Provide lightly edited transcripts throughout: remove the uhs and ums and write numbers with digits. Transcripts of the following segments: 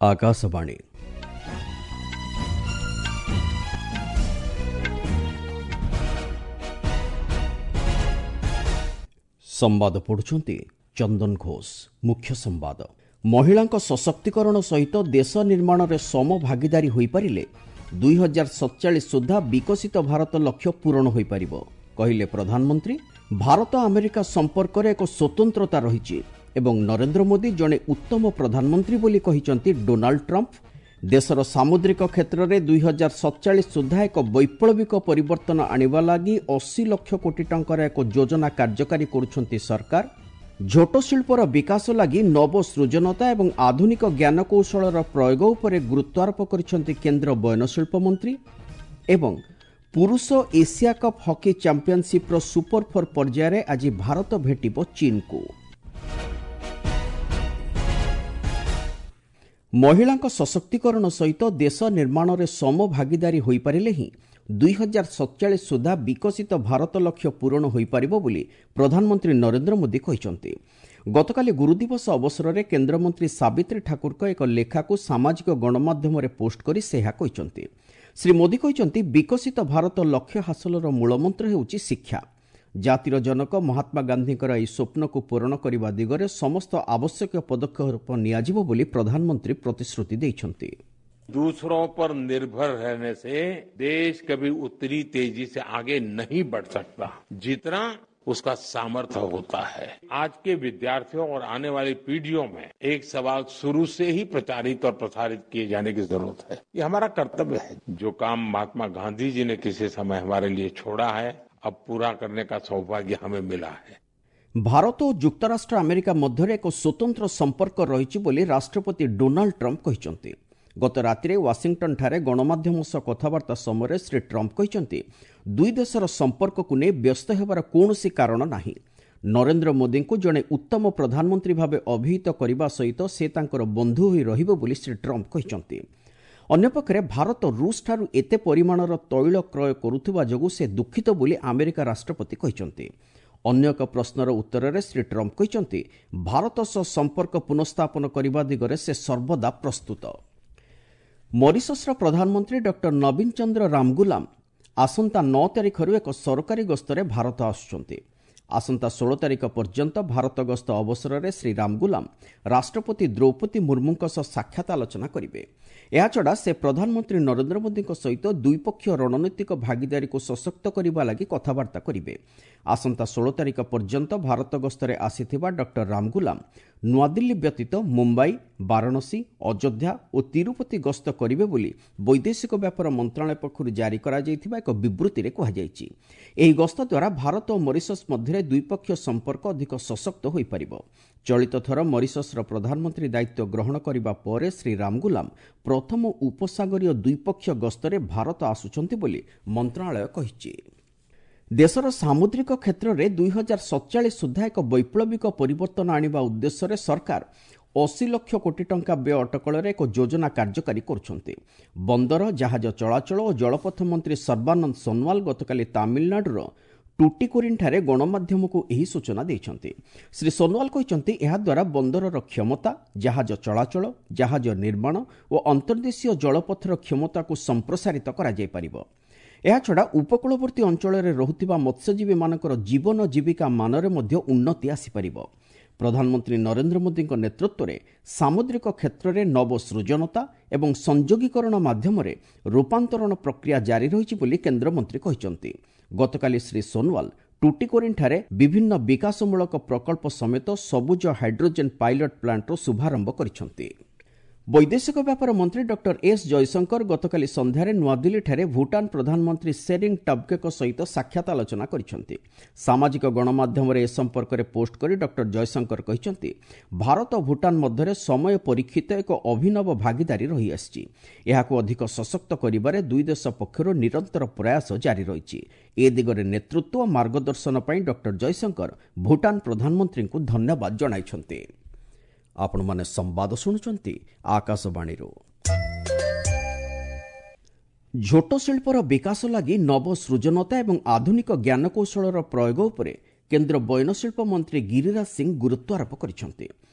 ଆକାଶବାଣୀ। ସମ୍ବାଦ ପଢୁଛନ୍ତି ଚନ୍ଦନ ଘୋଷ। ମୁଖ୍ୟ ସମ୍ବାଦ। ମହିଳାଙ୍କ ସଶକ୍ତିକରଣ ସହିତ ଦେଶ ନିର୍ମାଣରେ ସମଭାଗିଦାରୀ ହୋଇପାରିଲେ 2047 ସୁଦ୍ଧା ବିକଶିତ ଭାରତ ଲକ୍ଷ୍ୟ ପୂରଣ ହୋଇପାରିବ, କହିଲେ ପ୍ରଧାନମନ୍ତ୍ରୀ। ଭାରତ ଆମେରିକା ସମ୍ପର୍କରେ ଏକ ସ୍ୱତନ୍ତ୍ରତା ରହିଛି ଏବଂ ନରେନ୍ଦ୍ର ମୋଦି ଜଣେ ଉତ୍ତମ ପ୍ରଧାନମନ୍ତ୍ରୀ ବୋଲି କହିଛନ୍ତି ଡୋନାଲ୍ଡ ଟ୍ରମ୍ପ। ଦେଶର ସାମୁଦ୍ରିକ କ୍ଷେତ୍ରରେ 2047 ସୁଦ୍ଧା ଏକ ବୈପ୍ଳବିକ ପରିବର୍ତ୍ତନ ଆଣିବା ଲାଗି 80 ଲକ୍ଷ କୋଟି ଟଙ୍କାର ଏକ ଯୋଜନା କାର୍ଯ୍ୟକାରୀ କରୁଛନ୍ତି ସରକାର। ଝୋଟ ଶିଳ୍ପର ବିକାଶ ଲାଗି ନବସୃଜନତା ଏବଂ ଆଧୁନିକ ଜ୍ଞାନକୌଶଳର ପ୍ରୟୋଗ ଉପରେ ଗୁରୁତ୍ୱାରୋପ କରିଛନ୍ତି କେନ୍ଦ୍ର ବୟନଶିଳ୍ପ ମନ୍ତ୍ରୀ। ଏବଂ ପୁରୁଷ ଏସିଆ କପ୍ ହକି ଚାମ୍ପିୟନସିପ୍ର ସୁପର ଫୋର୍ ପର୍ଯ୍ୟାୟରେ ଆଜି ଭାରତ ଭେଟିବ ଚୀନକୁ। ମହିଳାଙ୍କ ସଶକ୍ତିକରଣ ସହିତ ଦେଶ ନିର୍ମାଣରେ ସମଭାଗିଦାରୀ ହୋଇପାରିଲେ ହିଁ 2047 ସୁଦ୍ଧା ବିକଶିତ ଭାରତ ଲକ୍ଷ୍ୟ ପୂରଣ ହୋଇପାରିବ ବୋଲି ପ୍ରଧାନମନ୍ତ୍ରୀ ନରେନ୍ଦ୍ର ମୋଦି କହିଛନ୍ତି। ଗତକାଲି ଗୁରୁଦିବସ ଅବସରରେ କେନ୍ଦ୍ରମନ୍ତ୍ରୀ ସାବିତ୍ରୀ ଠାକୁରଙ୍କ ଏକ ଲେଖାକୁ ସାମାଜିକ ଗଣମାଧ୍ୟମରେ ପୋଷ୍ଟ କରି ସେ ଏହା କହିଛନ୍ତି। ଶ୍ରୀ ମୋଦି କହିଛନ୍ତି, ବିକଶିତ ଭାରତ ଲକ୍ଷ୍ୟ ହାସଲର ମୂଳମନ୍ତ୍ର ହେଉଛି ଶିକ୍ଷା। ଜାତିର ଜନକ ମହାତ୍ମା ଗାନ୍ଧୀଙ୍କର ଏହି ସ୍ୱପ୍ନକୁ ପୂରଣ କରିବା ଦିଗରେ ସମସ୍ତ ଆବଶ୍ୟକୀୟ ପଦକ୍ଷେପ ନିଆଯିବ ବୋଲି ପ୍ରଧାନମନ୍ତ୍ରୀ ପ୍ରତିଶ୍ରୁତି ଦେଇଛନ୍ତି। दूसरों पर निर्भर रहने से देश कभी उतनी तेजी से आगे नहीं बढ़ सकता जितना उसका सामर्थ्य होता है। आज के विद्यार्थियों और आने वाली पीढ़ियों में एक सवाल शुरू से ही प्रचारित और प्रसारित किए जाने की जरूरत है। ये हमारा कर्तव्य है। जो काम महात्मा गांधी जी ने किसी समय हमारे लिए छोड़ा है, अब पूरा करने का सौभाग्य हमें मिला है। ଭାରତ ଓ ଯୁକ୍ତରାଷ୍ଟ୍ର ଆମେରିକା ମଧ୍ୟରେ ଏକ ସ୍ୱତନ୍ତ୍ର ସମ୍ପର୍କ ରହିଛି ବୋଲି ରାଷ୍ଟ୍ରପତି ଡୋନାଲ୍ଡ ଟ୍ରମ୍ପ କହିଛନ୍ତି। ଗତ ରାତିରେ ୱାଶିଂଟନଠାରେ ଗଣମାଧ୍ୟମ ସହ କଥାବାର୍ତ୍ତା ସମୟରେ ଶ୍ରୀ ଟ୍ରମ୍ପ କହିଛନ୍ତି, ଦୁଇ ଦେଶର ସମ୍ପର୍କକୁ ନେଇ ବ୍ୟସ୍ତ ହେବାର କୌଣସି କାରଣ ନାହିଁ। ନରେନ୍ଦ୍ର ମୋଦିଙ୍କୁ ଜଣେ ଉତ୍ତମ ପ୍ରଧାନମନ୍ତ୍ରୀ ଭାବେ ଅଭିହିତ କରିବା ସହିତ ସେ ତାଙ୍କର ବନ୍ଧୁ ହୋଇ ରହିବେ ବୋଲି ଶ୍ରୀ ଟ୍ରମ୍ପ କହିଛନ୍ତି। ଅନ୍ୟପକ୍ଷରେ ଭାରତ ରୁଷଠାରୁ ଏତେ ପରିମାଣର ତୈଳ କ୍ରୟ କରୁଥିବା ଯୋଗୁଁ ସେ ଦୁଃଖିତ ବୋଲି ଆମେରିକା ରାଷ୍ଟ୍ରପତି କହିଛନ୍ତି। ଅନ୍ୟ ଏକ ପ୍ରଶ୍ନର ଉତ୍ତରରେ ଶ୍ରୀ ଟ୍ରମ୍ପ କହିଛନ୍ତି, ଭାରତ ସହ ସମ୍ପର୍କ ପୁନଃସ୍ଥାପନ କରିବା ଦିଗରେ ସେ ସର୍ବଦା ପ୍ରସ୍ତୁତ। ମରିସସ୍ର ପ୍ରଧାନମନ୍ତ୍ରୀ ଡକ୍ଟର ନବୀନ ଚନ୍ଦ୍ର ରାମଗୁଲାମ ଆସନ୍ତା 9 ତାରିଖରୁ ଏକ ସରକାରୀ ଗସ୍ତରେ ଭାରତ ଆସୁଛନ୍ତି। ଆସନ୍ତା 16 ତାରିଖ ପର୍ଯ୍ୟନ୍ତ ଭାରତ ଗସ୍ତ ଅବସରରେ ଶ୍ରୀ ରାମଗୁଲାମ ରାଷ୍ଟ୍ରପତି ଦ୍ରୌପଦୀ ମୁର୍ମୁଙ୍କ ସହ ସାକ୍ଷାତ ଆଲୋଚନା କରିବେ। ଏହାଛଡ଼ା ସେ ପ୍ରଧାନମନ୍ତ୍ରୀ ନରେନ୍ଦ୍ର ମୋଦିଙ୍କ ସହିତ ଦ୍ୱିପକ୍ଷୀୟ ରଣନୈତିକ ଭାଗିଦାରୀକୁ ସଶକ୍ତ କରିବା ଲାଗି କଥାବାର୍ତ୍ତା କରିବେ। ଆସନ୍ତା 16 ତାରିଖ ପର୍ଯ୍ୟନ୍ତ ଭାରତ ଗସ୍ତରେ ଆସିଥିବା ଡକ୍ଟର ରାମଗୁଲାମ ନୂଆଦିଲ୍ଲୀ ବ୍ୟତୀତ ମୁମ୍ବାଇ, ବାରାଣସୀ, ଅଯୋଧ୍ୟା ଓ ତିରୁପତି ଗସ୍ତ କରିବେ ବୋଲି ବୈଦେଶିକ ବ୍ୟାପାର ମନ୍ତ୍ରଣାଳୟ ପକ୍ଷରୁ ଜାରି କରାଯାଇଥିବା ଏକ ବିବୃତ୍ତିରେ କୁହାଯାଇଛି। ଏହି ଗସ୍ତ ଦ୍ୱାରା ଭାରତ ଓ ମରିସସ୍ ମଧ୍ୟରେ ଦ୍ୱିପକ୍ଷୀୟ ସମ୍ପର୍କ ଅଧିକ ସଶକ୍ତ ହୋଇପାରିବ। ଚଳିତ ଥର ମରିସସ୍ର ପ୍ରଧାନମନ୍ତ୍ରୀ ଦାୟିତ୍ୱ ଗ୍ରହଣ କରିବା ପରେ ଶ୍ରୀ ରାମଗୁଲାମ ପ୍ରଥମ ଉପସାଗରୀୟ ଦ୍ୱିପକ୍ଷୀୟ ଗସ୍ତରେ ଭାରତ ଆସୁଛନ୍ତି ବୋଲି ମନ୍ତ୍ରଣାଳୟ କହିଛି। ଦେଶର ସାମୁଦ୍ରିକ କ୍ଷେତ୍ରରେ 2047 ସୁଦ୍ଧା ଏକ ବୈପ୍ଳବିକ ପରିବର୍ତ୍ତନ ଆଣିବା ଉଦ୍ଦେଶ୍ୟରେ ସରକାର 80 ଲକ୍ଷ କୋଟି ଟଙ୍କା ବ୍ୟୟ ଅଟକଳରେ ଏକ ଯୋଜନା କାର୍ଯ୍ୟକାରୀ କରୁଛନ୍ତି। ବନ୍ଦର, ଜାହାଜ ଚଳାଚଳ ଓ ଜଳପଥ ମନ୍ତ୍ରୀ ସର୍ବାନନ୍ଦ ସୋନୱାଲ ଗତକାଲି ତାମିଲନାଡୁର ଟୁଟିକୋରିନ୍ଠାରେ ଗଣମାଧ୍ୟମକୁ ଏହି ସୂଚନା ଦେଇଛନ୍ତି। ଶ୍ରୀ ସୋନୱାଲ କହିଛନ୍ତି, ଏହାଦ୍ୱାରା ବନ୍ଦରର କ୍ଷମତା, ଜାହାଜ ଚଳାଚଳ, ଜାହାଜ ନିର୍ମାଣ ଓ ଅନ୍ତର୍ଦେଶୀୟ ଜଳପଥର କ୍ଷମତାକୁ ସମ୍ପ୍ରସାରିତ କରାଯାଇପାରିବ। ଏହାଛଡ଼ା ଉପକୂଳବର୍ତ୍ତୀ ଅଞ୍ଚଳରେ ରହୁଥିବା ମତ୍ସ୍ୟଜୀବୀମାନଙ୍କର ଜୀବନ ଜୀବିକା ମାନରେ ମଧ୍ୟ ଉନ୍ନତି ଆସିପାରିବ। ପ୍ରଧାନମନ୍ତ୍ରୀ ନରେନ୍ଦ୍ର ମୋଦିଙ୍କ ନେତୃତ୍ୱରେ ସାମୁଦ୍ରିକ କ୍ଷେତ୍ରରେ ନବସୃଜନତା ଏବଂ ସଂଯୋଗୀକରଣ ମାଧ୍ୟମରେ ରୂପାନ୍ତରଣ ପ୍ରକ୍ରିୟା ଜାରି ରହିଛି ବୋଲି କେନ୍ଦ୍ରମନ୍ତ୍ରୀ କହିଛନ୍ତି। ଗତକାଲି ଶ୍ରୀ ସୋନୱାଲ ଟୁଟିକୋରିନ୍ଠାରେ ବିଭିନ୍ନ ବିକାଶମୂଳକ ପ୍ରକଳ୍ପ ସମେତ ସବୁଜ ହାଇଡ୍ରୋଜେନ୍ ପାଇଲଟ୍ ପ୍ଲାଣ୍ଟର ଶୁଭାରମ୍ଭ କରିଛନ୍ତି। ବୈଦେଶିକ ବ୍ୟାପାର ମନ୍ତ୍ରୀ ଡକ୍ଟର ଏସ୍ ଜୟଶଙ୍କର ଗତକାଲି ସନ୍ଧ୍ୟାରେ ନୂଆଦିଲ୍ଲୀଠାରେ ଭୁଟାନ ପ୍ରଧାନମନ୍ତ୍ରୀ ସେରିଂ ଟବ୍ଗେଙ୍କ ସହିତ ସାକ୍ଷାତ ଆଲୋଚନା କରିଛନ୍ତି। ସାମାଜିକ ଗଣମାଧ୍ୟମରେ ଏ ସମ୍ପର୍କରେ ପୋଷ୍ଟ କରି ଡକ୍ଟର ଜୟଶଙ୍କର କହିଛନ୍ତି, ଭାରତ ଓ ଭୁଟାନ ମଧ୍ୟରେ ସମୟ ପରୀକ୍ଷିତ ଏକ ଅଭିନବ ଭାଗିଦାରୀ ରହିଆସିଛି। ଏହାକୁ ଅଧିକ ସଶକ୍ତ କରିବାରେ ଦୁଇ ଦେଶ ପକ୍ଷରୁ ନିରନ୍ତର ପ୍ରୟାସ ଜାରି ରହିଛି। ଏ ଦିଗରେ ନେତୃତ୍ୱ ଓ ମାର୍ଗଦର୍ଶନ ପାଇଁ ଡକ୍ଟର ଜୟଶଙ୍କର ଭୁଟାନ ପ୍ରଧାନମନ୍ତ୍ରୀଙ୍କୁ ଧନ୍ୟବାଦ ଜଣାଇଛନ୍ତି। ଆପଣମାନେ ସମ୍ବାଦ ଶୁଣୁଛନ୍ତି ଆକାଶବାଣୀରୁ। ଝୋଟ ଶିଳ୍ପର ବିକାଶ ଲାଗି ନବସୃଜନତା ଏବଂ ଆଧୁନିକ ଜ୍ଞାନକୌଶଳର ପ୍ରୟୋଗ ଉପରେ କେନ୍ଦ୍ର ବୟନଶିଳ୍ପ ମନ୍ତ୍ରୀ ଗିରିରାଜ ସିଂ ଗୁରୁତ୍ୱାରୋପ କରିଛନ୍ତି।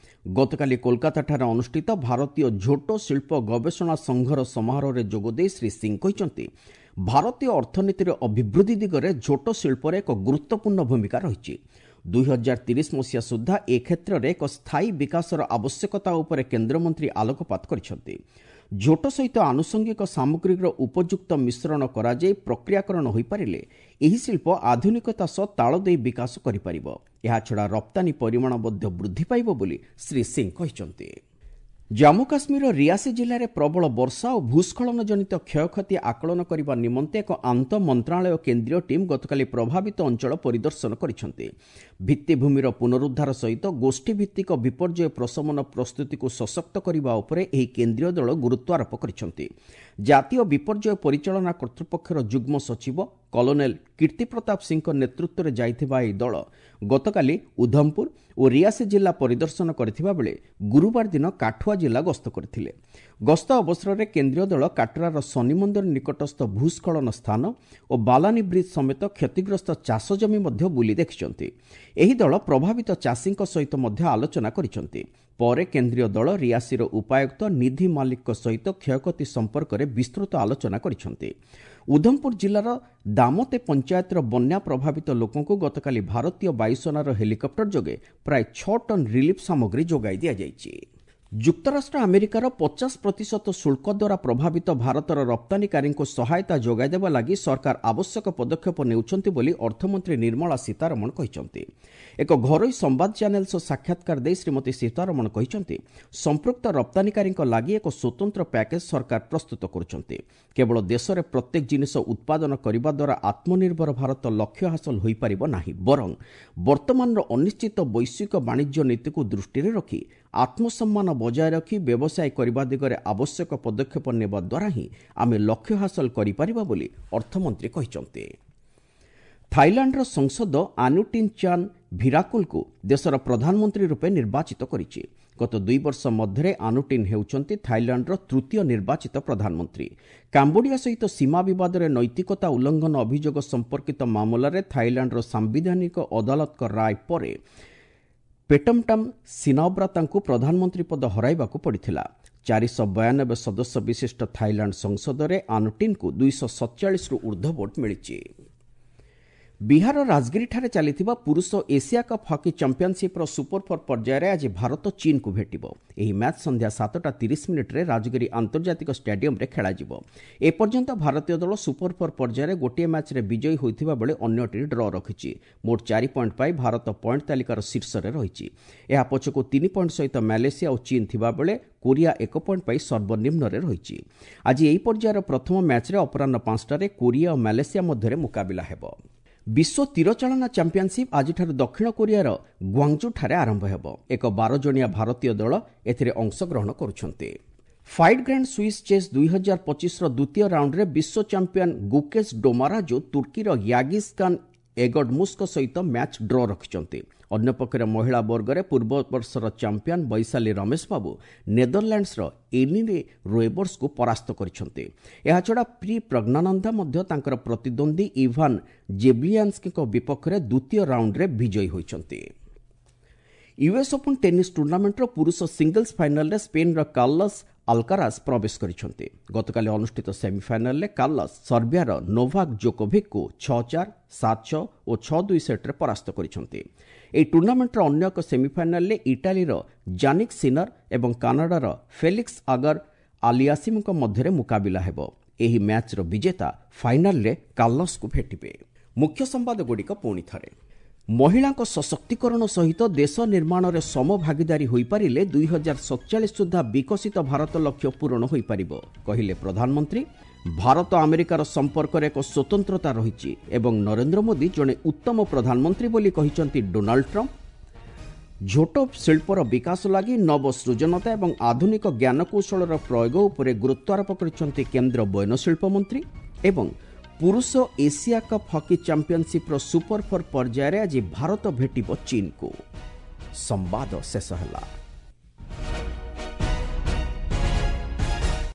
ଗତକାଲି କୋଲକାତାଠାରେ ଅନୁଷ୍ଠିତ ଭାରତୀୟ ଝୋଟ ଶିଳ୍ପ ଗବେଷଣା ସଂଘର ସମାରୋହରେ ଯୋଗଦେଇ ଶ୍ରୀ ସିଂ କହିଛନ୍ତି, ଭାରତୀୟ ଅର୍ଥନୀତିର ଅଭିବୃଦ୍ଧି ଦିଗରେ ଝୋଟ ଶିଳ୍ପର ଏକ ଗୁରୁତ୍ୱପୂର୍ଣ୍ଣ ଭୂମିକା ରହିଛି। 2030 ମସିହା ସୁଦ୍ଧା ଏ କ୍ଷେତ୍ରରେ ଏକ ସ୍ଥାୟୀ ବିକାଶର ଆବଶ୍ୟକତା ଉପରେ କେନ୍ଦ୍ରମନ୍ତ୍ରୀ ଆଲୋକପାତ କରିଛନ୍ତି। ଝୋଟ ସହିତ ଆନୁଷଙ୍ଗିକ ସାମଗ୍ରୀର ଉପଯୁକ୍ତ ମିଶ୍ରଣ କରାଯାଇ ପ୍ରକ୍ରିୟାକରଣ ହୋଇପାରିଲେ ଏହି ଶିଳ୍ପ ଆଧୁନିକତା ସହ ତାଳ ଦେଇ ବିକାଶ କରିପାରିବ। ଏହାଛଡ଼ା ରପ୍ତାନୀ ପରିମାଣ ମଧ୍ୟ ବୃଦ୍ଧି ପାଇବ ବୋଲି ଶ୍ରୀ ସିଂ କହିଛନ୍ତି। ଜାମ୍ମୁ କାଶ୍ମୀରର ରିଆସି ଜିଲ୍ଲାରେ ପ୍ରବଳ ବର୍ଷା ଓ ଭୂସ୍ଖଳନ ଜନିତ କ୍ଷୟକ୍ଷତି ଆକଳନ କରିବା ନିମନ୍ତେ ଏକ ଆନ୍ତଃ ମନ୍ତ୍ରଣାଳୟ କେନ୍ଦ୍ରୀୟ ଟିମ୍ ଗତକାଲି ପ୍ରଭାବିତ ଅଞ୍ଚଳ ପରିଦର୍ଶନ କରିଛନ୍ତି। ଭିତ୍ତିଭୂମିର ପୁନରୁଦ୍ଧାର ସହିତ ଗୋଷ୍ଠୀଭିତ୍ତିକ ବିପର୍ଯ୍ୟୟ ପ୍ରଶମନ ପ୍ରସ୍ତୁତିକୁ ସଶକ୍ତ କରିବା ଉପରେ ଏହି କେନ୍ଦ୍ରୀୟ ଦଳ ଗୁରୁତ୍ୱାରୋପ କରିଛନ୍ତି। ଜାତୀୟ ବିପର୍ଯ୍ୟୟ ପରିଚାଳନା କର୍ତ୍ତୃପକ୍ଷର ଯୁଗ୍ମ ସଚିବ କଲୋନେଲ କୀର୍ତ୍ତି ପ୍ରତାପ ସିଂଙ୍କ ନେତୃତ୍ୱରେ ଯାଇଥିବା ଏହି ଦଳ ଗତକାଲି ଉଧମପୁର ଓ ରିଆସି ଜିଲ୍ଲା ପରିଦର୍ଶନ କରିଥିବା ବେଳେ ଗୁରୁବାର ଦିନ କାଠୁଆ ଜିଲ୍ଲା ଗସ୍ତ କରିଥିଲେ। ଗସ୍ତ ଅବସରରେ କେନ୍ଦ୍ରୀୟ ଦଳ କାଟ୍ରାର ଶନି ମନ୍ଦିର ନିକଟସ୍ଥ ଭୂସ୍ଖଳନ ସ୍ଥାନ ଓ ବାଲାନୀ ବ୍ରିଜ୍ ସମେତ କ୍ଷତିଗ୍ରସ୍ତ ଚାଷ ଜମି ମଧ୍ୟ ବୁଲି ଦେଖିଛନ୍ତି। ଏହି ଦଳ ପ୍ରଭାବିତ ଚାଷୀଙ୍କ ସହିତ ମଧ୍ୟ ଆଲୋଚନା କରିଛନ୍ତି। ପରେ କେନ୍ଦ୍ରୀୟ ଦଳ ରିଆସିର ଉପାୟୁକ୍ତ ନିଧି ମାଲିକଙ୍କ ସହିତ କ୍ଷୟକ୍ଷତି ସମ୍ପର୍କରେ ବିସ୍ତୃତ ଆଲୋଚନା କରିଛନ୍ତି। ଉଧମପୁର ଜିଲ୍ଲାର ଦାମତେ ପଞ୍ଚାୟତର ବନ୍ୟା ପ୍ରଭାବିତ ଲୋକଙ୍କୁ ଗତକାଲି ଭାରତୀୟ ବାୟୁସେନାର ହେଲିକପ୍ଟର ଯୋଗେ ପ୍ରାୟ 6 ଟନ୍ ରିଲିଫ୍ ସାମଗ୍ରୀ ଯୋଗାଇ ଦିଆଯାଇଛି। ଯୁକ୍ତରାଷ୍ଟ୍ର ଆମେରିକାର 50% ଶୁଳ୍କ ଦ୍ୱାରା ପ୍ରଭାବିତ ଭାରତର ରପ୍ତାନୀକାରୀଙ୍କୁ ସହାୟତା ଯୋଗାଇ ଦେବା ଲାଗି ସରକାର ଆବଶ୍ୟକ ପଦକ୍ଷେପ ନେଉଛନ୍ତି ବୋଲି ଅର୍ଥମନ୍ତ୍ରୀ ନିର୍ମଳା ସୀତାରମଣ କହିଛନ୍ତି। ଏକ ଘରୋଇ ସମ୍ବାଦ ଚ୍ୟାନେଲ ସହ ସାକ୍ଷାତକାର ଦେଇ ଶ୍ରୀମତୀ ସୀତାରମଣ କହିଛନ୍ତି, ସମ୍ପୃକ୍ତ ରପ୍ତାନୀକାରୀଙ୍କ ଲାଗି ଏକ ସ୍ୱତନ୍ତ୍ର ପ୍ୟାକେଜ୍ ସରକାର ପ୍ରସ୍ତୁତ କରୁଛନ୍ତି। କେବଳ ଦେଶରେ ପ୍ରତ୍ୟେକ ଜିନିଷ ଉତ୍ପାଦନ କରିବା ଦ୍ୱାରା ଆତ୍ମନିର୍ଭର ଭାରତ ଲକ୍ଷ୍ୟ ହାସଲ ହୋଇପାରିବ ନାହିଁ, ବରଂ ବର୍ତ୍ତମାନର ଅନିଶ୍ଚିତ ବୈଶ୍ୱିକ ବାଣିଜ୍ୟ ନୀତିକୁ ଦୃଷ୍ଟିରେ ରଖି ଆତ୍ମସମ୍ମାନ ବଜାୟ ରଖି ବ୍ୟବସାୟ କରିବା ଦିଗରେ ଆବଶ୍ୟକ ପଦକ୍ଷେପ ନେବା ଦ୍ୱାରା ହିଁ ଆମେ ଲକ୍ଷ୍ୟ ହାସଲ କରିପାରିବା ବୋଲି ଅର୍ଥମନ୍ତ୍ରୀ କହିଛନ୍ତି। ଥାଇଲାଣ୍ଡର ସଂସଦ ଆନୁଟିନ୍ ଚାନ୍ ଭିରାକୁଲକୁ ଦେଶର ପ୍ରଧାନମନ୍ତ୍ରୀ ରୂପେ ନିର୍ବାଚିତ କରିଛି। ଗତ 2 ବର୍ଷ ମଧ୍ୟରେ ଆନୁଟିନ୍ ହେଉଛନ୍ତି ଥାଇଲାଣ୍ଡର ତୃତୀୟ ନିର୍ବାଚିତ ପ୍ରଧାନମନ୍ତ୍ରୀ। କାମ୍ବୋଡିଆ ସହିତ ସୀମା ବିବାଦରେ ନୈତିକତା ଉଲ୍ଲଂଘନ ଅଭିଯୋଗ ସମ୍ପର୍କିତ ମାମଲାରେ ଥାଇଲାଣ୍ଡର ସାମ୍ବିଧାନିକ ଅଦାଲତଙ୍କ ରାୟ ପରେ ପେଟମଟାମ୍ ସିନାବ୍ରାତାଙ୍କୁ ପ୍ରଧାନମନ୍ତ୍ରୀ ପଦ ହରାଇବାକୁ ପଡ଼ିଥିଲା। 492 ସଦସ୍ୟ ବିଶିଷ୍ଟ ଥାଇଲାଣ୍ଡ ସଂସଦରେ ଆନୁଟିନ୍କୁ 247ରୁ ଉର୍ଦ୍ଧ୍ୱ ଭୋଟ୍ ମିଳିଛି। ବିହାର ରାଜଗିରିଠାରେ ଚାଲିଥିବା ପୁରୁଷ ଏସିଆ କପ୍ ହକି ଚାମ୍ପିୟନସିପ୍ର ସୁପର ଫୋର୍ ପର୍ଯ୍ୟାୟରେ ଆଜି ଭାରତ ଚୀନକୁ ଭେଟିବ। ଏହି ମ୍ୟାଚ୍ ସନ୍ଧ୍ୟା 7:30 ରାଜଗିରି ଆନ୍ତର୍ଜାତିକ ଷ୍ଟାଡିୟମରେ ଖେଳାଯିବ। ଏପର୍ଯ୍ୟନ୍ତ ଭାରତୀୟ ଦଳ ସୁପର ଫୋର୍ ପର୍ଯ୍ୟାୟରେ ଗୋଟିଏ ମ୍ୟାଚ୍ରେ ବିଜୟୀ ହୋଇଥିବା ବେଳେ ଅନ୍ୟଟି ଡ୍ର ରଖିଛି। ମୋଟ 4 ପଏଣ୍ଟ ପାଇ ଭାରତ ପଏଣ୍ଟ ତାଲିକାର ଶୀର୍ଷରେ ରହିଛି। ଏହା ପଛକୁ 3 ପଏଣ୍ଟ ସହିତ ମାଲେସିଆ ଓ ଚୀନ ଥିବାବେଳେ କୋରିଆ 1 ପଏଣ୍ଟ ପାଇ ସର୍ବନିମ୍ନରେ ରହିଛି। ଆଜି ଏହି ପର୍ଯ୍ୟାୟର ପ୍ରଥମ ମ୍ୟାଚ୍ରେ ଅପରାହ୍ନ 5ଟାରେ କୋରିଆ ଓ ମାଲେସିଆ ମଧ୍ୟରେ ମୁକାବିଲା ହେବ। ବିଶ୍ୱ ତୀରଚାଳନା ଚାମ୍ପିୟନସିପ୍ ଆଜିଠାରୁ ଦକ୍ଷିଣ କୋରିଆର ଗ୍ୱାଙ୍ଗଜୁଠାରେ ଆରମ୍ଭ ହେବ। ଏକ 12 ଜଣିଆ ଭାରତୀୟ ଦଳ ଏଥିରେ ଅଂଶଗ୍ରହଣ କରୁଛନ୍ତି। ଫାଇଡ୍ ଗ୍ରାଣ୍ଡ ସୁଇସ୍ ଚେସ୍ 2025ର ଦ୍ୱିତୀୟ ରାଉଣ୍ଡରେ ବିଶ୍ୱ ଚାମ୍ପିୟନ ଗୁକେଶ ଡୋମାରାଜୁ ତୁର୍କୀର ୟାଗିସ୍ ଖାନ୍ ଏଗଡମୁସ୍ଙ୍କ ସହିତ ମ୍ୟାଚ୍ ଡ୍ର ରଖିଛନ୍ତି। ଅନ୍ୟପକ୍ଷରେ ମହିଳା ବର୍ଗରେ ପୂର୍ବ ବର୍ଷର ଚାମ୍ପିୟନ ବୈଶାଲୀ ରମେଶ ବାବୁ ନେଦରଲ୍ୟାଣ୍ଡସର ଏନିରେ ରୋଏବର୍ସକୁ ପରାସ୍ତ କରିଛନ୍ତି। ଏହାଛଡ଼ା ପ୍ରି ପ୍ରଜ୍ଞାନନ୍ଦା ମଧ୍ୟ ତାଙ୍କର ପ୍ରତିଦ୍ୱନ୍ଦ୍ୱୀ ଇଭାନ ଜେବ୍ଲିଆନ୍ସ୍କିଙ୍କ ବିପକ୍ଷରେ ଦ୍ୱିତୀୟ ରାଉଣ୍ଡରେ ବିଜୟୀ ହୋଇଛନ୍ତି। ୟୁଏସ୍ ଓପନ୍ ଟେନିସ୍ ଟୁର୍ଣ୍ଣାମେଣ୍ଟର ପୁରୁଷ ସିଙ୍ଗଲ୍ସ ଫାଇନାଲରେ ସ୍ପେନ୍ର କାର୍ଲସ୍ ଆଲକାରାଜ ପ୍ରବେଶ କରିଛନ୍ତି। ଗତକାଲି ଅନୁଷ୍ଠିତ ସେମିଫାଇନାଲରେ କାର୍ଲସ୍ ସର୍ବିଆର ନୋଭାକ୍ ଜୋକୋଭିକ୍କୁ 6-4, 7-6 ଓ 6-2 ସେଟ୍ରେ ପରାସ୍ତ କରିଛନ୍ତି। ଏହି ଟୁର୍ଣ୍ଣାମେଣ୍ଟର ଅନ୍ୟ ଏକ ସେମିଫାଇନାଲରେ ଇଟାଲୀର ଜାନିକ୍ ସିନର ଏବଂ କାନାଡାର ଫେଲିକ୍ସ ଆଗର ଆଲିଆସିମଙ୍କ ମଧ୍ୟରେ ମୁକାବିଲା ହେବ। ଏହି ମ୍ୟାଚ୍ର ବିଜେତା ଫାଇନାଲରେ କାର୍ଲସ୍କୁ ଭେଟିବେ। ମୁଖ୍ୟ ସମ୍ବାଦଗୁଡ଼ିକ ପୁଣି ଥରେ। ମହିଳାଙ୍କ ସଶକ୍ତିକରଣ ସହିତ ଦେଶ ନିର୍ମାଣରେ ସମଭାଗିଦାରୀ ହୋଇପାରିଲେ 2047 ସୁଦ୍ଧା ବିକଶିତ ଭାରତ ଲକ୍ଷ୍ୟ ପୂରଣ ହୋଇପାରିବ, କହିଲେ ପ୍ରଧାନମନ୍ତ୍ରୀ। ଭାରତ ଆମେରିକାର ସମ୍ପର୍କରେ ଏକ ସ୍ୱତନ୍ତ୍ରତା ରହିଛି ଏବଂ ନରେନ୍ଦ୍ର ମୋଦି ଜଣେ ଉତ୍ତମ ପ୍ରଧାନମନ୍ତ୍ରୀ ବୋଲି କହିଛନ୍ତି ଡୋନାଲ୍ଡ ଟ୍ରମ୍ପ। ଝୋଟ ଶିଳ୍ପର ବିକାଶ ଲାଗି ନବସୃଜନତା ଏବଂ ଆଧୁନିକ ଜ୍ଞାନକୌଶଳର ପ୍ରୟୋଗ ଉପରେ ଗୁରୁତ୍ୱାରୋପ କରିଛନ୍ତି କେନ୍ଦ୍ର ବୟନଶିଳ୍ପ ମନ୍ତ୍ରୀ। ଏବଂ ପୁରୁଷ ଏସିଆ କପ୍ ହକି ଚାମ୍ପିୟନସିପ୍ର ସୁପର ଫୋର୍ ପର୍ଯ୍ୟାୟରେ ଆଜି ଭାରତ ଭେଟିବ ଚୀନକୁ। ସମ୍ବାଦ ଶେଷ ହେଲା।